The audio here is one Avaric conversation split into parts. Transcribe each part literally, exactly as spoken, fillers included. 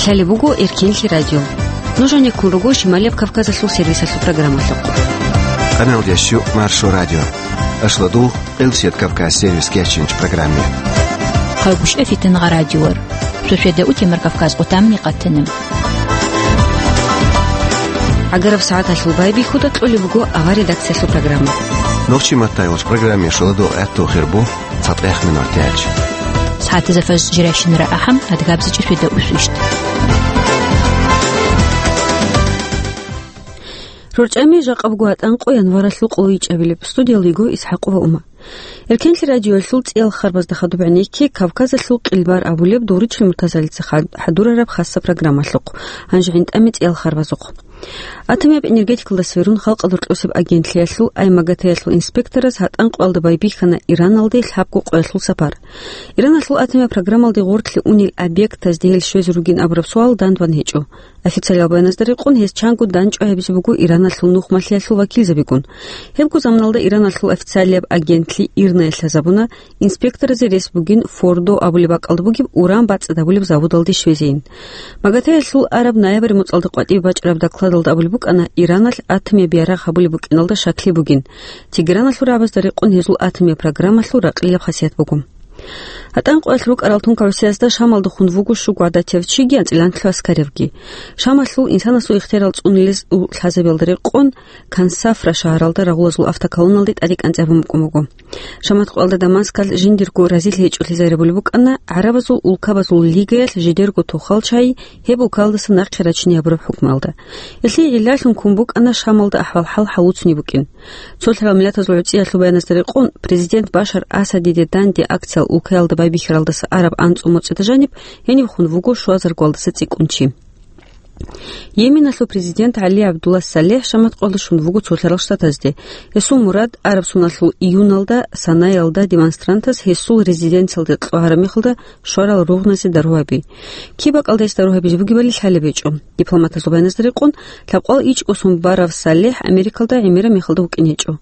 Лъалеб буго Эркенлъи радио. Нуж гьанеккун руго Шималияб Кавказалъул сервисалъул программалъухъ. Къаналдияс щу Маршо радио. Ашладул Къилсият Кавказ сервис кечинч программе. Хъалгушев Фитнагъа радиор. Шошеда утемар Кавказ къутамни къатана. Агараб сагӀаталъул байбихьуда кьолеб буго авар редакциялъул программа. Нохчи маттай вач программе шуладул гӀатту хирбу. ЦатӀех минутач. СагӀатазда фажр жирайщинара ахӀам, адгабзичӀеб шуйда усу ишт. РорчӀами жакъа буго гьатӀан къо январалъул къоло ичӀабилеб. Студиялда йиго ИсхӀакъова Ума. Эркенлъи радиоялъул цӀиял харбазда хадуб гӀенекке Кавказалъул къилбар абулеб Дугъричил Муртазалица хад-, хӀадурараб хасса программалъухъ. Гьанже гӀинтӀаме цӀиял харбазухъ. Атомияб энергетикалдаса верун халкъалда рокьосеб агентлъиялъул Аймагатаялъул инспектораз гьатӀан къоялда байбихьана Ираналде лъабго къоялъул сапар. Ираналъул атомияб программалде гъорлъе унел объектазде гьел щвезе ругин абураб суал дандбан гьечӀо. Официалиял баяназда рекъон гьес чанго дандчӀвай гьабизе буго Ираналъул нухмалъиялъул вакилзабигун. Гьебго заманалда Ираналъул официалияб агентлъи ИРНА-ялъ лъазабуна, инспекторазе рес бугин Фордо абулеб бакӀалда бугеб уран бацӀцӀад гьабулеб заводалде щвезейин. Магатаялъул араб ноябрь моцӀалда къватӀибе бачӀараб докладалда абулеб букӀана, Ираналъ атомияб ярагъ гьабулеб букӀиналда щаклъи бугин. Тегераналъул рагӀабазда рекъон гьезул атомияб программалъул ракълилаб хасият буго. ГьатӀан къоялъ рукӀарал тункагӀусиязда Шамалдехун вуго щуго гӀадатияв чиги анцӀила анлъго аскаревги. Шамалъул инсанасул ихтиярал цӀунулез лъазабиялда рекъон Кансафра шагьаралда рагъулазул автоколонналде тӀаде кӀанцӀи гьабун букӀун буго. Шамат къоялда Дамаскалъ жиндирго разилъи гьечӀолъи зарабулеб букӀана, гӀарабазул улкабазул лигаялъ жидерго тохал чагӀи гьеб улкаялдаса нахъе рачине гьабураб хӀукмуялда. Гьелъие гӀиллалъун ккун букӀана Шамалда ахӀвал-хӀал гьавуцунеб букӀин. Цолъарал Миллатазул гӀуцӀиялъул баяназда рекъон, президент Башар Асадиде данде акциял улкаялда байбихьаралдаса араб анцӀго моцӀида жаниб гьениб хун вуго щуазаргоялдаса цӀикӀкӀун чи. Йеменалъул президент ГӀали ГӀабдулла СалихӀ Шамат къоялда щун вуго Цолъарал Штатазде. Гьесул мурад, араб соналъул июналда Санаялда демонстрантаз гьесул резиденциялде кьогьараб мехалда щварал ругъназе дару гьаби. Киб бакӀалда гьес дару гьабизе бугебали лъалеб гьечӀо. Дипломатазул баяназда рекъон, лъабкъоялда ичӀго сон барав СалихӀ Америкалда гӀемераб мехалда вукӀине гьечӀо.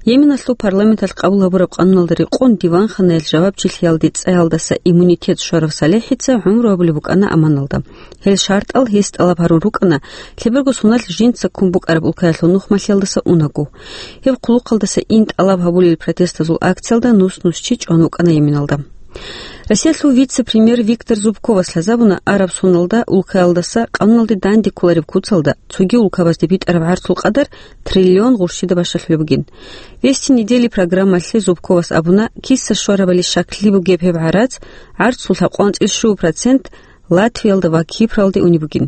Йеменалъул парламенталъ къабул гьабураб къануналда рекъон диванханаялъ жавабчилъиялде цӀаялдаса иммунитет щварав СалихӀица гӀумру гьабулеб букӀана Аманалда. Гьел шартӀал гьес тӀалаб гьарун рукӀана, лъеберго соналъ жинца ккун букӀараб улкаялъул нухмалъиялдаса унаго. Гьеб хъулухъалдаса ин тӀалаб гьабулел протестазул акциялда нус-нус чи чӀван вукӀана Йеменалда. Россиялъул вице-премьер Виктор Зубковас лъазабуна араб соналда улкаялдаса къануналде данде кколареб куцалда цоги улкабазде битӀараб гӀарцул къадар триллион гъурщида бащалъулеб бугин. «Вести недели» программалъе Зубковас абуна, киса щварабали щаклъи бугеб гьеб гӀарац, гӀарцул лъабкъоялда анцӀила щуго процент Латвиялда ва Кипралде унеб бугин.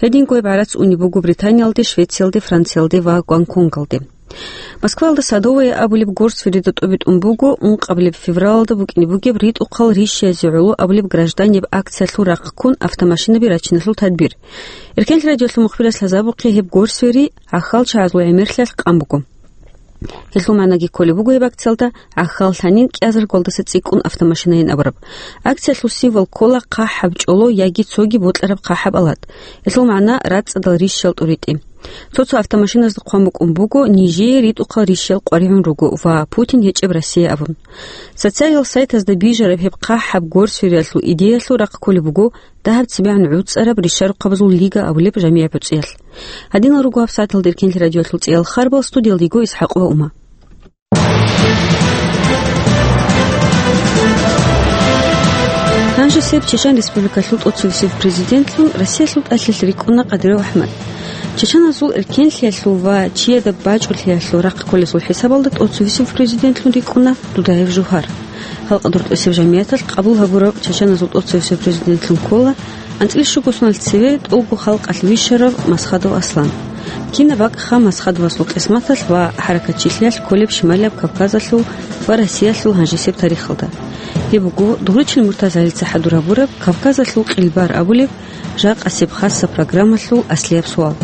Гьединго гьеб гӀарац унеб буго Британиялде, Швециялде, Франциялде ва Гонконгалде. Москваялда Садовая абулеб горсферида тӀубитӀун буго ункъабилеб февралалда букӀине бугеб ритӀухъал рищаязе гӀоло абулеб гражданиб акциялъул рахъ ккун автомашинаби рачиналъул тадбир. Эркенлъи радиолъул мухбирас лъазабухъе гьеб горсфери гӀахьалчагӀазул гӀемерлъиялъ къан буго. Гьелъул магӀнаги кколеб буго гьеб акциялда гӀахьал лъанин кӀиазаргоялдаса цӀикӀкӀун автомашинайин абураб. Акциялъул символ ккола хъахӀаб чӀоло яги цоги бокьараб хъахӀаб алат. Гьелъул магӀна рацӀцӀадал рищал тӀуритӀи. Цо-цо автомашиназда хъван букӀун буго, нижее ритӀухъал рищал къваригӀун руго ва Путин гьечӀеб Россия абун. Социалиял сайтазда бижараб гьеб хъахӀаб горсфериялъул идеялъул рахъ кколеб буго дагьаб цебегӀан гӀуцӀараб ришарухъабазул лига абулеб жамигӀ-буцӀиялъ. Гьадинал руго гьабсагӀаталда Эркенлъи радиоялъул цӀиял харбал, студиялда йиго ИсхӀакъова Ума. Гьанже сеп Чечен Республикалъул тӀоцевесев президентлъун Россиялъул тӀалъилъ рикӀкӀуна Къадиров АхӀмад. Чеченазул эркенлъиялъул ва чияда бачӀулъиялъул рахъ кколесул хӀисабалда тӀоцевесев президентлъун рикӀкӀуна Дудаев Жугьар. Халкъалда рокьосеб жамигӀаталъ къабул гьабурав чеченазул тӀоцевесев президентлъун ккола анцӀила щуго соналъ цеве тӀолго халкъалъ вищарав Масхадов Аслан. Кинаб бакӀ ха Масхадовасул къисматалъ ва хӀаракатчилъиялъ кколеб Шималияб Кавказалъул ва Россиялъул гьанжесеб тарихалда. Гьеб буго Дугъричил Муртазалица хӀадур гьабураб Кавказалъул къилбар абулеб жакъасеб хасса программалъул аслияб суал.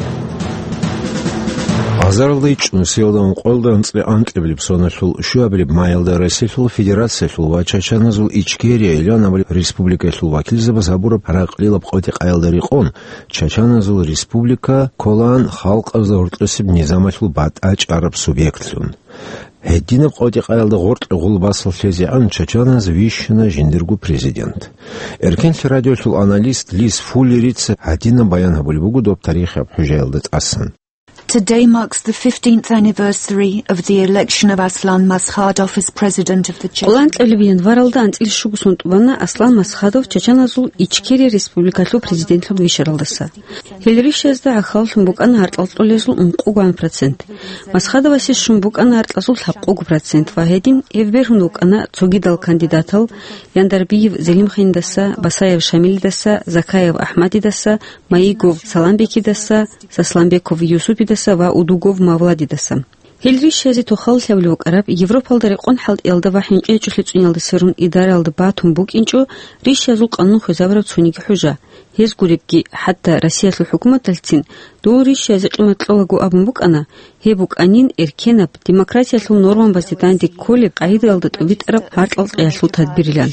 Азаралда ичӀнусиялда ункъоялда анцӀила анкьабилеб соналъул щуабилеб маялда Россиялъул Федерациялъул ва чачаназул Ичкерия илан абулеб республикаялъул вакилзабаз гьабураб ракълилаб къотӀи-къаялда рекъон, чачаназул республика кколаан халкъазда гьоркьосеб низамалъул батӀа чӀараб субъектлъун. Гьединаб къотӀи-къаялда гъоркье гъул басалъезегӀан чачаназ вищана жиндирго президент. Эркенлъи радиолъул аналист Лиз Фуллерица гьадинаб баян гьабулеб буго доб тарихияб хӀужаялда тӀасан. Today marks the fifteenth anniversary of the election of Aslan Maskhadov as president of the Che- Кьуланкьабилеб январалда анцӀила щуго сон тӀубана Аслан Масхадов чачаназул Ичкерия республикалъул президентлъун вищаралдаса. Гьел рищаязда гӀахьаллъун букӀана гьаркьал кьолезул ункъогоан процент. Масхадовасе щун букӀана гьаркьазул лъабкъого процент ва гьедин гьев бергьун вукӀана цогидал кандидатал: Яндарбиев Зелимханидаса, Басаев Шамилидаса, Закаев Ахмадидаса, Маигов Саламбекидаса, Сасламбеков Юсупидаса ва Удугов Мавладидаса. Гьел рищазе тохаллъи гьабулеб букӀараб, Европалда рекъон хӀалтӀиялда ва хӀинчӀи гьечӀолъи цӀуниялда сверун идараялда батун букӀинчӀо рищаязул къанун хвезабураб цониги хӀужа. Гьез гуребги, хӀатта Россиялъул хӀукуматалъцин дов рищазе къимат кьолаго абун букӀана, гьеб букӀанин эркенаб, демократиялъул нормабазде данде кколеб къагӀидаялда тӀубитӀараб гьаркьал кьеялъул тадбирилан.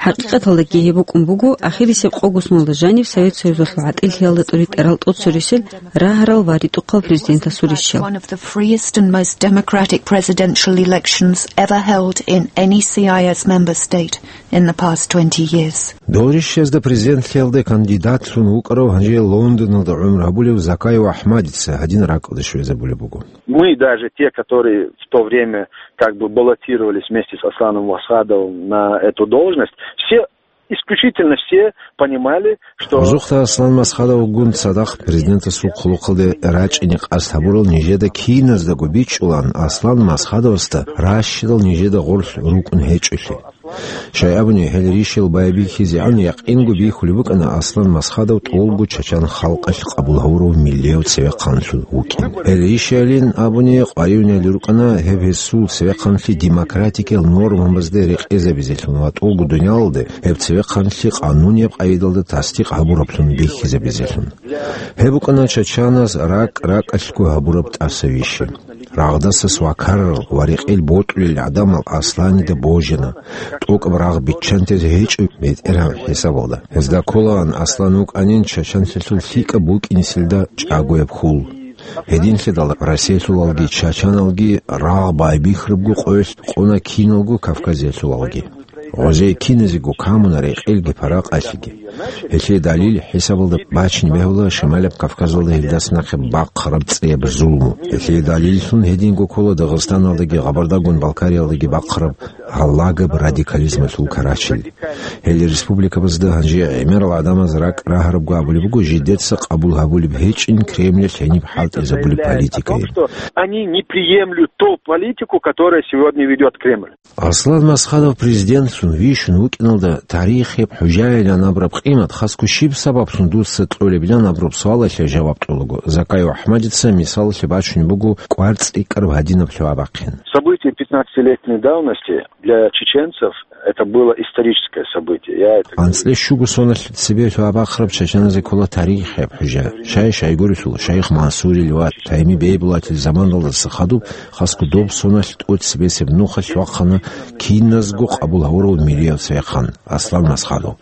ХӀакъикъаталдаги гьеб букӀун буго ахирисеб къого соналда жаниб Совет Союзалъул гӀатӀилъиялда тӀуритӀарал тӀоцерисел рагьарал ва ритӀухъал президентасул рищал. One of the freest and most democratic presidential elections ever held in any C I S member state in the past twenty years. Дов рищаязда президентлъиялда кандидатлъун вукӀарав, гьанже Лондоналда гӀумру гьабулев Закаев Ахмадица гьадин ракӀалде щвезабулеб буго. Мы, даже те, которые в то время как бы баллотировались вместе с Асланом Вахадовым на эту должность, все, исключительно все понимали, что Гьазухъа Аслан Масхадовгун цадахъ президентасул хъулухъалде рачӀине къасд гьабурал нижеда киназдаго бичӀчӀулаан Аслан Масхадовасда ращидал нижеда гъорлъ рукӀун гьечӀолъи. Щай абуни, гьел рищал байбихьизегӀан якъинго бихьулеб букӀана Аслан Масхадов тӀолго чачан халкъалъ къабул гьавурав миллияв цевехъанлъун вукӀин. Гьел рищалин абуни, къваригӀунел рукӀана гьеб гьесул цевехъанлъи демократикиял нормабазде рекъезабизелъун ва тӀолго дуниялалде гьеб цевехъанлъи къанунияб къагӀидалда тасдикъ гьабураблъун бихьизабизелъун. Гьеб букӀана чачаназ ракӀ-ракӀалъго гьабураб тӀаса вищи. Рагъдаса свакарал ва рекъел бокьулел гӀадамал Асланида божана, тӀокӀаб рагъ биччантезе гьечӀо бетӀергьан хӀисабалда. Гьезда кколаан Аслан вукӀанин чачанлъилъул лъикӀаб букӀинесилда чӀагояб хьул. Гьединлъидал Россиялъулалги чачаналги рагъ байбихьарабго къоялъ къуна киналго Кавказиялъулалги. Гъозие киназего камуна рекъелги паракъалъиги. Гьелъие далил хӀисабалда бачине бегьула Шималаб Кавказалда гьелдаса нахъе бахъараб цӀияб зулму. Гьелъие далиллъун гьединго ккола Дагъистаналдаги Гъабардагун Балкариялдаги бахъараб гьалагаб радикализмалъул карачел. Гьел республикабазда гьанже гӀемерал гӀадамаз ракӀ рагьарабго абулеб буго жидеца къабул гьабулеб гьечӀин Кремлалъ гьениб хӀалтӀизабулеб политикайин. Они не приемлют ту политику, которая сегодня ведёт Кремль. Аслан Масхадов президентлъун вищун вукӀиналда тарихияб хӀужаялъан абураб къимат хасго щиб сабаблъун дуца кьолебилан абураб суалалъе жаваб кьолаго, Закаев Ахмадица мисалалъе бачунеб буго кӀвар цӀикӀкӀараб гьадинаб лъугӀа бахъин. События пятнадцатилетней давности для чеченцев это было историческое событие. Я это АнцӀила щуго соналъ цебе лъугӀа бахъараб чачаназе ккола тарихияб хӀужа. Шай-шайгурелъул Шайх Мансурил ва Тайми Бейбулатил заманалдаса хадуб хасго доб соналъ тӀоцебесеб нухалъ вахъана киназго къабул гьавурав миллияв цевехъан Аслан Масхадов.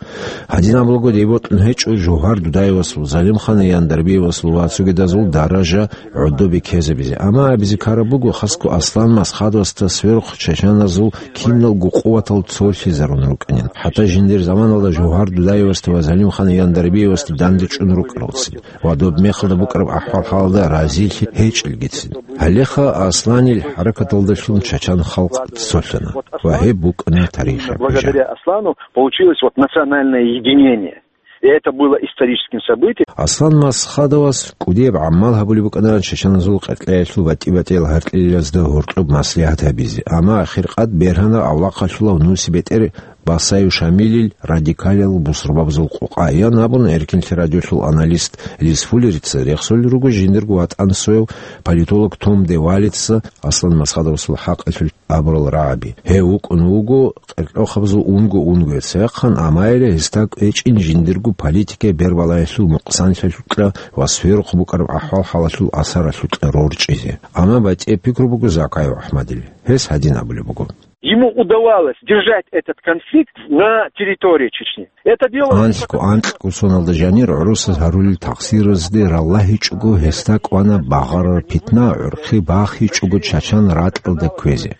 Гьадин абулаго, дей бокьун гьечӀо Жугьар Дудаевасул, Залимхан Яндарбиевасул ва цогидазул даража гӀодобе ккезабизе. Амма абизе ккараб буго, хасго Аслан Масхадовасда сверухъ чачаназул киналго къуватал цолъизарун рукӀанин. ХӀатта жиндир заманалда Жугьар Дудаевасда ва Залимхан Яндарбиевасда данде чӀун рукӀаралцин ва доб мехалда букӀараб ахӀвал-хӀалалда разилъи гьечӀелгицин. Гьалеха Асланил хӀаракаталдалъун чачан халкъ цолъана ва гьеб букӀана тарихияб хӀужа. Благодаря Аслану получилось вот национальное единение. И это было историческим событием. Аслан Масхадовас кӀудияб гӀамал гьабулеб букӀана чачаназул къеркьеялъул батӀи-батӀиял гьаркьлъиялазда гьоркьоб маслигӀат гьабизе, амма ахиркъад бергьана авлахъалъулав нусибетӀер Басаев Шамилил радикалиял бусурбабазул къокъа, ян абуна Эркинлъи радиолъул аналист Лис Фуллерица, рехсолел руго жиндирго ватӀан сояв политолог Том де Валлица Аслан Масхадовасул хӀакъалъулъ абурал рагӀаби. Гьев вукӀун вуго къеркьохъабазул унго-унгояцеяхъан, амма гьеле гьесда кӀвечӀин жиндирго политикаялъул бербалаялъул мукъсанлъиялъукьа ва сверухъ букӀараб ахӀвал-хӀалалъул асаралъукьа рорчӀизе. Амма батӀияб пикру буго Закаев АхӀмадил. Гьес гьадин абулеб буго. Ему удавалось держать этот конфликт на территории Чечни. Это дело... Анлъго анкьго соналда жанир гӀурусаз гьарулел такъсиразде раллагьичӀого гьесда кӀвана багъарараб питна, гӀурхъи бахичӀого чачан ракьалда кквезе.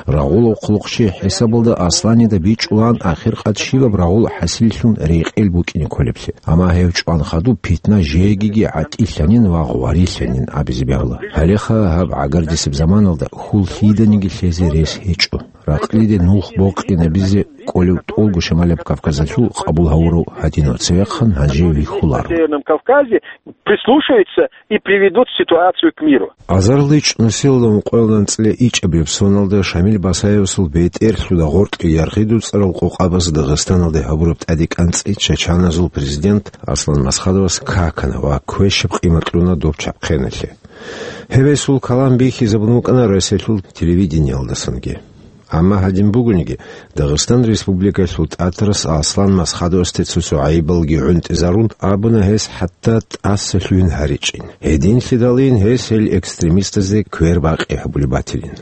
Рагъулав хъулухъчи хӀисабалда Асланида бичӀчӀулаан ахиркъад щибаб рагъул хӀасиллъун рекъел букӀине кколеблъи. Амма гьев чӀван хадуб питна жегиги гӀатӀилъанин ва гъварилъанин абизе бегьула. Гьалеха гьаб гӀагардисеб заманалда хьул лъиданиги лъезе рес гьечӀо. Ракълиде нух бокьинабизе кӀолев тӀолго Шамалияб Кавказалъул къабул гьавурав гьадинав цевехъан гьанже вихьуларо. На Северном Кавказе прислушаются и приведут ситуацию к миру. Азарилда чӀунусиялда ункъоялда анцӀила ичӀабилеб соналда Шамил Басаевасул бетӀерлъуда гъоркье яргъи дуцӀарал къокъабаз Дагъистаналде гьабураб тӀаде кӀанцӀи чачаназул президент Аслан Масхадовас какана ва квешаб къимат кьуна доб чабхъеналъе. Гьев гьесул калам бихьизабун вукӀана Россиялъул телевидениялдасанги. Амма гьадин бугониги, Дагъистан Республикалъул тӀатарас Аслан Масхадовасде цо-цо гӀайибалги гӀунтӀизарун, абуна гьес хӀатта тӀаса лъугьин гьаричӀин. Гьединлъидалин гьес гьел экстремистазде квер бакъи гьабулеб батилин.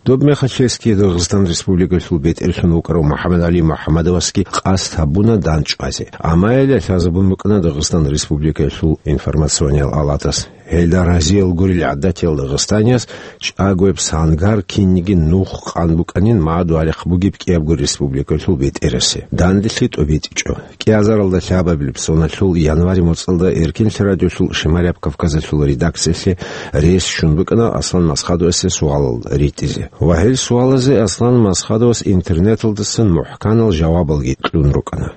Доб мехалъ гьесги Дагъистан Республикалъул бетӀерлъун вукӀарав МухӀаммадгӀали МухӀаммадовасги къасд гьабуна дандчӀвазе. Амма гьеле лъазабун букӀана Дагъистан Республикалъул информациониял алатас. Гьелда разиял гурел гӀадатиял дагъистанияс чӀагояб сангар кинниги нух къан букӀанин магӀадугьалихъ бугеб кӀиябго республикалъул бетӀерасе. Данделъи тӀобитӀичӀо. КӀиазаралда лъабабилеб соналъул январь моцӀалда Эркинлъи радиолъул Шамалияб Кавказалъул редакциялъе рес щун букӀана Аслан Масхадовасе суалал ритӀизе. Ва гьел суалазе Аслан Масхадовас интернеталдасан мухӀканал жавабалги кьун рукӀана.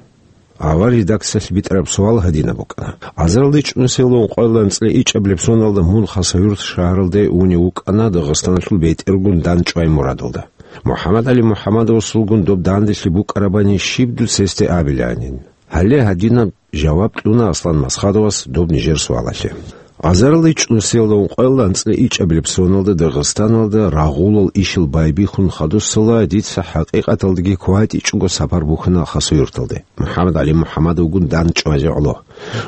Авар редакциялъ битӀараб суал гьадинаб букӀана. Азарилда чӀунусиялда ункъоялда анцӀила ичӀабилеб соналда мун Хасавюрт шагьаралде унев вукӀана Дагъистаналъул бетӀергун дандчӀвай мурадалда. МухӀаммадгӀали МухӀаммадовасулгун доб данделъи букӀарабани щиб дуца гьесде абилаанин? Гьале гьадинаб жаваб кьуна Аслан Масхадовас доб нижер суалалъе. Азарилда чӀунусиялда ункъоялда анцӀила ичӀабилеб соналда Дагъистаналда рагъулал ишал байбихьун хадусала дица хӀакъикъаталдаги кватӀичӀого сапар бухьана Хасавюрталде, МухӀаммадгӀали МухӀаммадовгун дандчӀвазе гӀоло.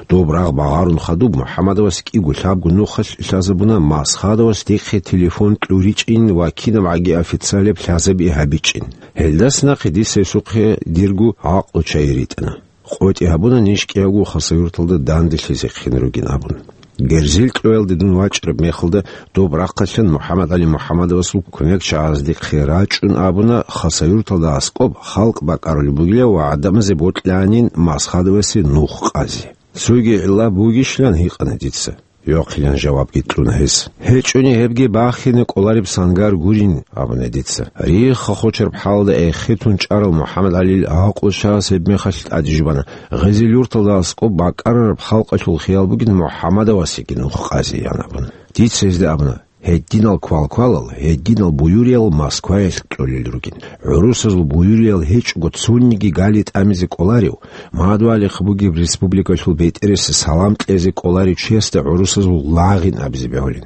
Доб рагъ багъарун хадуб МухӀаммадовас кӀиго-лъабго нухалъ лъазабуна Масхадовас дихъе телефон кьуричӀин ва кинабгӀаги официалияб лъазаби гьабичӀин. Гьелдаса нахъе дица гьесухъе дирго гӀакълу-чай ритӀана. КъотӀи гьабуна ниж кӀиявго Хасавюрталда данделъизехъин ругин абун. Герзил кьоялде дун вачӀараб мехалда доб рахъалъан МухӀаммадгӀали МухӀаммадовасул кумекчагӀаздехъе рачӀун абуна Хасавюрталда аскӀоб халкъ бакӀарулеб бугила ва гӀадамазе бокьанин Масхадовасе нух къазе. Цоги гӀилла бугищилан гьикъана дица. Йохъилан жавабги кьуна гьес. ГьечӀони гьебги бахине кӀолареб сангар гурин, абуна дица. Рихха-хочараб хӀалда эхетун чӀарав МухӀаммадгӀалил гӀакълу чагӀаз гьебмехалъ тӀадежбана, Гъизил-Юрталда аскӀоб бакӀарараб халкъалъул хиял бугин МухӀаммадовасеги нух къазе, ян абуна. Дица гьезда абуна: «Гьединал квалквалал, гьединал буюриял Москваялъ кьолел ругин. ГӀурусазул буюриял гьечӀого цониги гали тӀамизе кӀоларев, магӀадугьалихъ бугеб республикалъул бетӀересе салам кьезе кӀоларев чиясда гӀурусазул лагъин абизе бегьулин.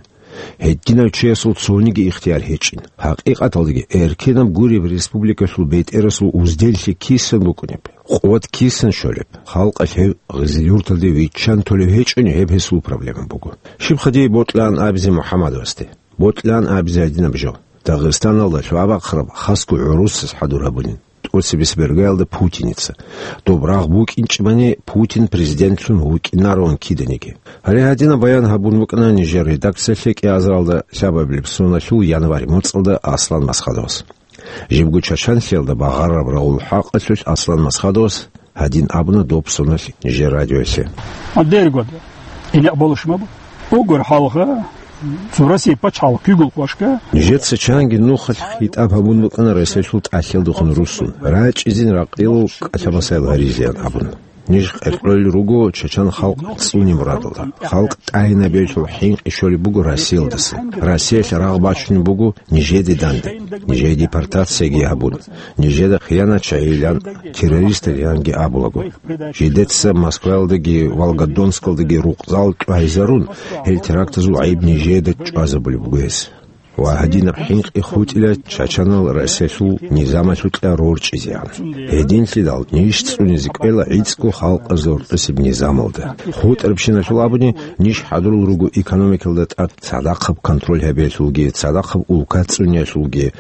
Гьединав чиясул цониги ихтияр гьечӀин. ХӀакъикъаталдаги, эркенаб гуреб республикалъул бетӀерасул узделлъи кисан букӀунеб, къуват кисан щолеб? Халкъалъ гьев Гъизил-Юрталде виччан толев гьечӀони, гьеб гьесул проблема буго. Щибха дие бокьан абизе МухӀаммадовасде? Бокьан абизе гьадинаб жо: Дагъистаналда лъугьа-бахъараб хасго гӀурусаз хӀадур гьабулин, тӀоцебесеб иргаялда путиница. Доб рагъ букӀинчӀебани, Путин президентлъун вукӀинароан киданиги». Гьале гьадинаб баян гьабун букӀана нижер редакциялъе кӀиазаралда лъабабилеб соналъул январь моцӀалда Аслан Масхадовас. Жибго чачанлъиялда багъараб рагъул хӀакъалъулъ Аслан Масхадовас гьадин абуна доб соналъ нижер радиоялъе. Дергода. Ине болушмаб. Угур халгъа, цо Россия пачалъ кигул квашка. Нижеца чанги нухалъ хитӀаб гьабун букӀана Россиялъул тӀалъиялдехун руссун, рачӀизин ракъилал кӀалъа-масайл гьаризеян абун. Ниж къеркьолел руго чачан халкъ цӀуне мурадалда. Халкъ тӀагьинабиялъул хӀинкъи щолеб буго Россиялдаса. Россиялъ рагъ бачунеб буго нижеде данде. Нижее депортацияги гьабун, нижеда хиянатчагӀилан, террористалиянги абулаго. Жидеца Москваялдаги Волгодонскалдаги рукъзал чӀвайзарун, гьел терактазул гӀайиб нижеда чӀвазабулеб буго гьес. Ва гьадинаб хӀинкъи хутӀила чачанал Россиялъул низамалъукьа рорчӀизегӀан. Гьединлъидал ниж цӀунизе кӀвела гӀицӀго халкъазда рорчӀисеб низамалда. ХутӀарабщиналъул абуни, ниж хӀадурал руго экономикалда тӀад цадахъаб контроль гьабиялъулги, цадахъаб улка цӀуниялъулги,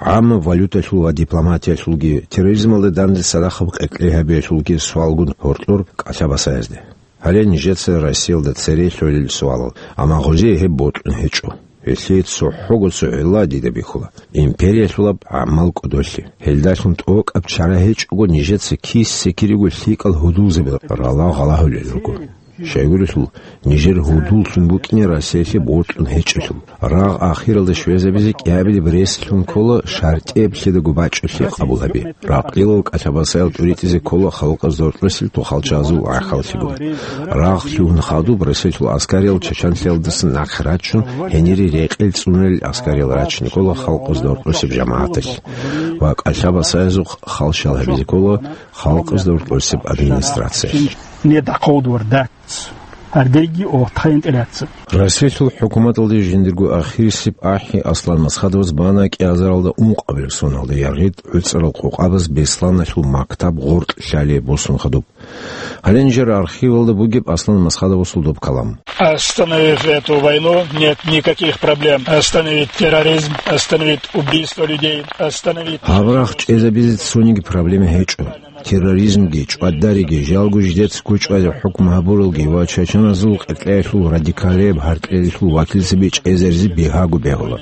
гӀаммаб валюталъул ва дипломатиялъулги, терроризмалда данде цадахъаб къеркьей гьабиялъулги суалгун гьоркьор кӀалъа-басаязде. Гьале нижеца Россиялда цере лъолел суалал, амма гъозие гьеб бокьун гьечӀо. Гьелъие цохӀого цо гӀилла дида бихьула: империялъулаб гӀамал кӀодолъи. Гьелдалъун тӀокӀаб чара гьечӀого нижеца киса-кириго лъикӀал гьудулзаби рала гъалагьулел руго. Щайгурелъул, нижер гьудуллъун букӀине Россиялъе бокьун гьечӀелъул. Рагъ ахиралда щвезабизе кӀиабилеб рес лъун ккола шартӀияб лъидаго бачӀулъи къабул гьаби. Ракълилал кӀалъа-басаял тӀуритӀизе ккола халкъазда рорчӀисел тухалчагӀазул гӀахьаллъигун. Рагъ лъугьун хадуб Россиялъул аскариял чачанлъиялдаса нахъе рачун, гьенире рекъел цӀунарел аскариял рачине ккола халкъазда рорчӀисеб жамагӀаталъ. Ва кӀалъа-басаязухъ халщал гьабизе ккола халкъазда рорчӀисеб администрациялъ. Нед ахъовдвар дац. Гьардейги о тхайин тӀелаца. Россиялъул хӀукуматалде жиндирго ахирисеб ахӀи Аслан Масхадовас бана кӀиазаралда ункъабилеб соналда яргъид гӀуцӀарал къокъабаз Бесланалъул мактаб гъоркь лъалеб босун хадуб. Гьале нижер архивалда бугеб Аслан Масхадовасул доб калам. Остановив эту войну, нет никаких проблем. Остановить терроризм, остановить убийство людей, остановить... Гьаб рагъ чӀезабизе цониги проблема гьечӀо. Терроризмги, чӀвадариги, жалго жидец гучӀвазе хӀукму гьабуралги ва чачаназул къеркьеялъул радикалияб гьаркьелалъул вакилзаби чӀезаризе бигьаго бегьула.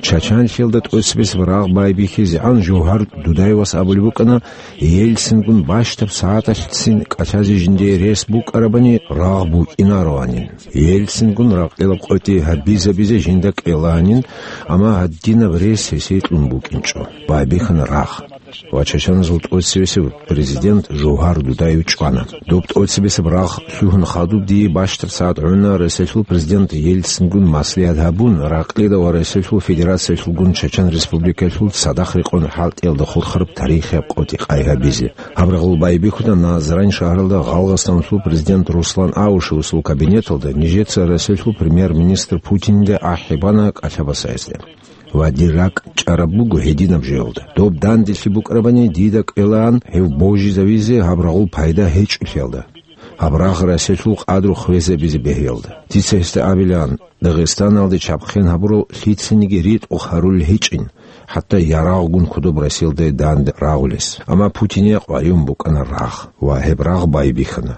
Чачанлъиялда тӀоцебесеб рагъ байбихьизегӀан Жовгьар Дудаевас абулеб букӀана, Ельцингун бащдаб сагӀаталъцин кӀалъазе жиндие рес букӀарабани, рагъ букӀинароанин. Ельцингун ракъилаб къотӀи гьабизабизе жинда кӀеланин, амма гьадинаб рес гьесие кьун букӀинчӀо. Байбихьана рагъ. Ва чачаназул тӀоцевесев президент Жовгьар Дудаев чӀвана. Доб тӀоцебесеб рагъ лъугьун хадуб дие бащдаб сагӀат гӀуна Россиялъул президент Ельцингун маслигӀат гьабун, ракълида ва Россиялъул Федерациялъулгун Чачан Республикаялъул цадахъ рекъон хӀалтӀиялда хурхараб тарихияб къотӀи къай гьабизе. Гьаб рагъул байбихьуна Назрань шагьаралда Гъалгъастаналъул президент Руслан Аушевасул кабинеталда нижеца Россиялъул премьер-министр Путинде ахӀи бана кӀалъа-басаязде. Ва дир ракӀ чӀараб буго гьединаб жоялда. Доб данделъи букӀарабани, дида кӀелаан гьев божизавизе гьаб рагъул пайда гьечӀолъиялда, гьаб рагъ Россиялъул къадру хвезабизе бегьиялда. Дица гьесда абилаан, Дагъистаналде чабхъен гьабурал лъицаниги ритӀухъ гьарулел гьечӀин, хӀатта ярагъгун кодоб Россиялда данде рагъулес. Амма Путине къваригӀун букӀана рагъ, ва гьеб рагъ байбихьана.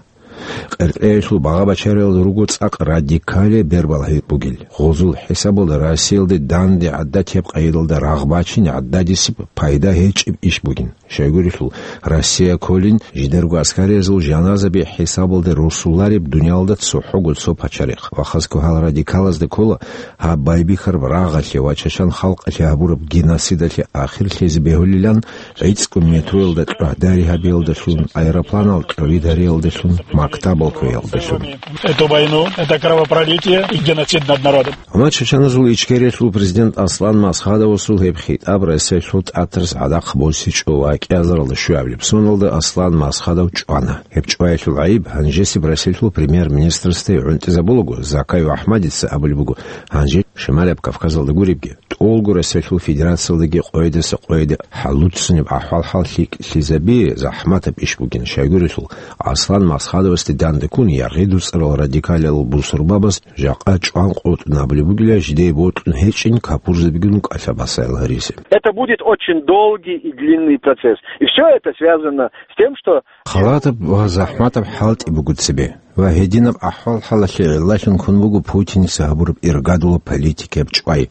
Къеркьеялъул багъа-бачариялда руго цӀакъ радикалияб бербалъи бугел. Гъозул хӀисабалда Россиялде данде гӀадатияб къайдалда рагъ бачине гӀададисеб пайда гьечӀеб иш бугин. Щайгурелъул, Россия кколин жидерго аскариязул жаназаби хӀисабалде росулареб дуниялда цохӀого цо пачарихъ. Ва хасго гьал радикалазда ккола гьаб байбихьараб рагъалъе ва чачан халкъалъе гьабураб геноцидалъе ахирлъизе бегьулилан, гӀицӀго метроялда кьогьдари гьабиялдалъун, аэропланал кьови дариялдалъун, мактабал кквеялдалъун. Эту войну, это кровопролитие и геноцид над народом. Амма чачаназул Ичкериялъул президент Аслан Масхадовасул гьеб хитӀаб Россиялъул ТӀатарас гӀадахъ босичӀо ва кӀиазаралда щуабилеб соналда Аслан Масхадов чӀвана. Гьеб чӀваялъул гӀайиб гьанжесеб Россиялъул премьер-министрасде гӀунтӀизабулаго, Закаев АхӀмадица абулеб буго, гьанже Шималаб Кавказалда гуребги, тӀолго Россиялъул Федерациялдаги къойдаса къойде хӀалуццунеб ахӀвал-хӀал лъикӀлъизаби захӀматаб иш бугин. Щайгурелъул, Аслан Масхадовасде данде ккун яргъи дуцӀарал радикалиял бусурбабаз жакъа чӀван къотӀун абулеб бугила, жидее бокьун гьечӀин капурзабигун кӀалъа-басаял гьаризе. Это будет очень долгий и длинный процесс. И всё это связано с тем, что... Халатаб ва захӀматаб хӀалтӀи буго цебе. Ва гьединаб ахӀвал-хӀалалъе гӀиллалъун ккун буго Путиница гьабураб иргадулаб политикаяб чӀвай.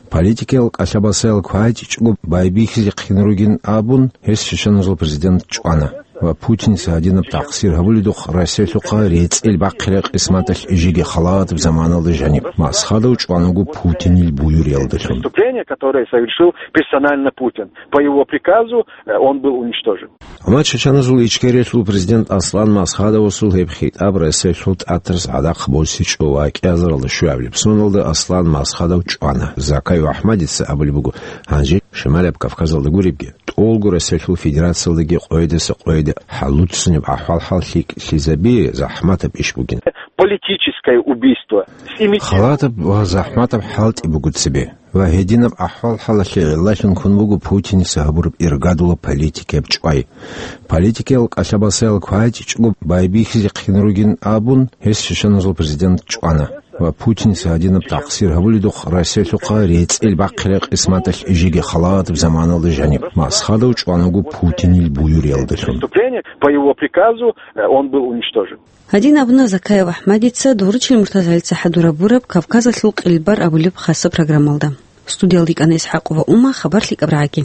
Политикиял кӀалъа-басаял квайчӀичӀого байбихьизехъин ругин абун, гьес чачаназул президент чӀвана. Ва Путиница гьадинаб такъсир гьабуледухъ Россиялъухъа рецӀил бахъире къисматалъ жеги халатаб заманалда жаниб Масхадов чӀванаго Путинил буюриялдалъун. Преступление, которое совершил персонально Путин. По его приказу, э, он был уничтожен. Амма чеченазул Ичкериялъул президент Аслан Масхадовасул гьеб хитӀаб Россиялъул тӀатарас гӀадахъ босичӀо ва кӀиазаралда щуабилеб соналда Аслан Масхадов чӀвана. Закаев АхӀмадица абулеб буго, гьанже Шималаб Кавказалда гуребги, тӀолго Россиялъул Федерациялдаги къойдаса къойде хӀалуццунеб ахӀвал-хӀал лъикӀлъизаби захӀматаб иш бугин. Политическое убийство. С имитированным. Халатаб ва захӀматаб хӀалтӀи буго цебе. Ва гьединаб ахӀвал-хӀалалъе гӀиллалъун ккун буго Путиница гьабураб иргадулаб политикаяб чӀвай. Политикиял кӀалъа-балсаял квайчӀичӀого байбихьизехъин ругин абун, гьес чеченазул президент чӀвана. Ва Путиница гьадинаб такъсир гьабуледухъ Россиялъухъа рецӀил бахъире къисматалъ жеги халатаб заманалда жаниб Масхадов чӀванаго Путинил буюриялдалъун. Преступление, по его приказу, э, он был уничтожен. Гьадин абуна Закаев АхӀмадица Доручил МуртазагӀилца хӀадурабураб Кавказалъул къилбар абулеб хасаб программалда. Студиялда йикӀана ИсхӀакъова Ума, хабар лъикӀаб рагӀаги.